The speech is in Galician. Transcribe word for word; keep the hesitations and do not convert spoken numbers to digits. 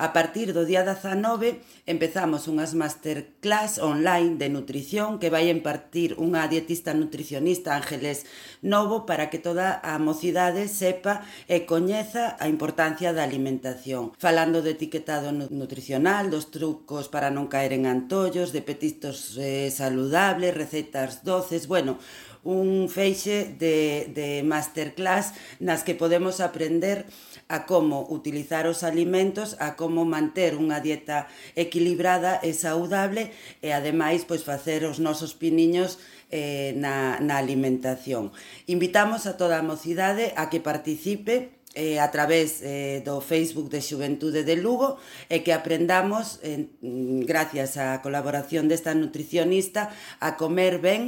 A partir do día dezanove empezamos unhas masterclass online de nutrición que vai impartir unha dietista nutricionista, Ángeles Novo, para que toda a mocidade sepa e coñeza a importancia da alimentación, falando do etiquetado nutricional, dos trucos para non caer en antollos, de petistos eh, saludables, recetas doces, bueno, un feixe de, de masterclass nas que podemos aprender a como utilizar os alimentos, a como manter unha dieta equilibrada e saudable e ademais pois facer os nosos piniños eh, na, na alimentación. Invitamos a toda a mocidade a que participe eh, a través eh, do Facebook de Xuventude de Lugo e que aprendamos, eh, gracias á colaboración desta nutricionista, a comer ben